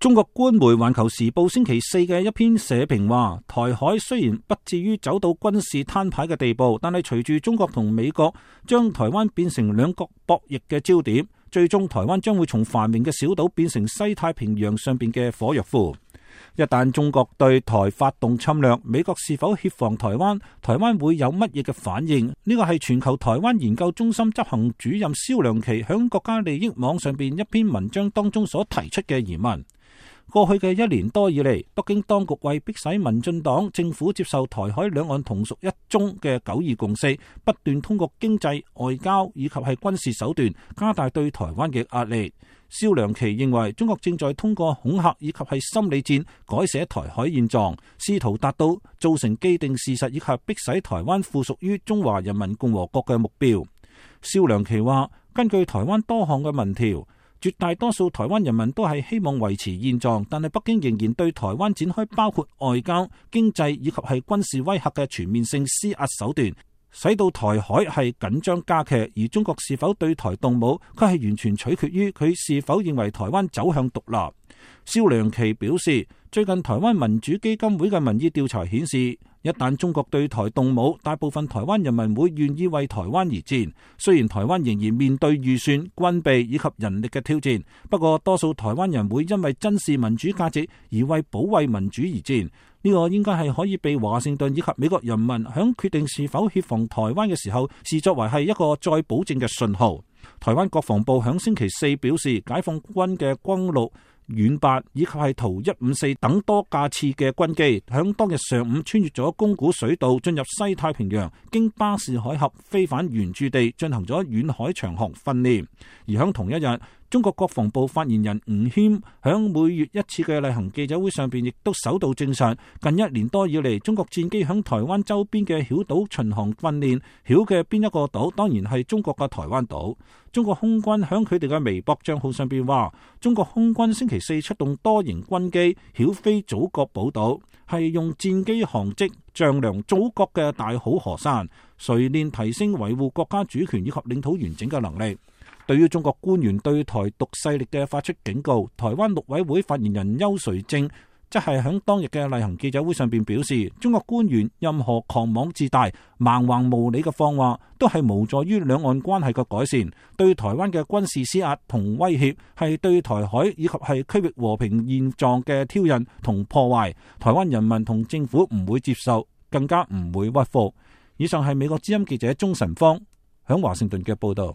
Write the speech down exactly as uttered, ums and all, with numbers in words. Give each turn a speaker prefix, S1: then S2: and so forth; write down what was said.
S1: 中國官媒《環球時報》星期四嘅一篇社評話，台海雖然不至於走到軍事攤牌嘅地步，但係隨住中國同美國將台灣變成兩國博弈嘅焦點，最終台灣將會從繁榮嘅小島變成西太平洋上邊嘅火藥庫。一旦中國對台發動侵略，美國是否協防台灣？台灣會有乜嘢嘅反應？呢個係全球台灣研究中心執行主任蕭良琪響國家利益網上邊一篇文章當中所提出嘅疑問。過去嘅一年多以嚟，北京當局為迫使民進黨政府接受台海兩岸同屬一中嘅九二共識，不斷通過經濟、外交以及係軍事手段加大對台灣嘅壓力。蕭良琪認為，中國正在通過恐嚇以及係心理戰改寫台海現狀，試圖達到造成既定事實以及迫使台灣附屬於中華人民共和國嘅目標。蕭良琪話，根據台灣多項嘅民調，絕大多數台灣人民都係希望維持現狀，但係北京仍然對台灣展開包括外交、經濟以及係軍事威嚇嘅全面性施壓手段，使到台海係緊張加劇。而中國是否對台動武，佢係完全取決於佢是否認為台灣走向獨立。蕭良琪表示，最近台灣民主基金會嘅民意調查顯示，一旦中國對台動武，大部分台灣人民會願意為台灣而戰。雖然台灣仍然面對預算、軍備以及人力嘅挑戰，不過多數台灣人會因為珍視民主價值而為保衛民主而戰。呢個應該係可以被華盛頓以及美國人民響決定是否協防台灣嘅時候，視作為係一個再保證嘅信號。台灣國防部響星期四表示，解放軍嘅轟六、遠八以及係圖一五四等多架次嘅軍機，響當日上午穿越咗宮古水道進入西太平洋，經巴士海峽飛返原駐地進行咗遠海長航訓練。而響同一日，中國國防部發言人吳謙響每月一次嘅例行記者會上邊，亦都首度證實，近一年多以嚟，中國戰機響台灣周邊嘅曉島巡航訓練，曉嘅邊一個島？當然係中國嘅台灣島。中國空軍響佢哋嘅微博賬號上邊話，中國空軍星期四出動多型軍機曉飛祖國寶島，係用戰機航跡丈量祖國嘅大好河山，錘煉提升維護國家主權以及領土完整嘅能力。對於中國官員對台獨勢力嘅發出警告，台灣陸委會發言人邱垂正則係響當日嘅例行記者會上邊表示，中國官員任何狂妄自大、蠻橫無理嘅放話，都係無助於兩岸關係嘅改善，對台灣嘅軍事施壓同威脅，係對台海以及係區域和平現狀嘅挑釁同破壞。台灣人民同政府唔會接受，更加唔會屈服。以上係美國之音記者鍾晨芳響華盛頓嘅報道。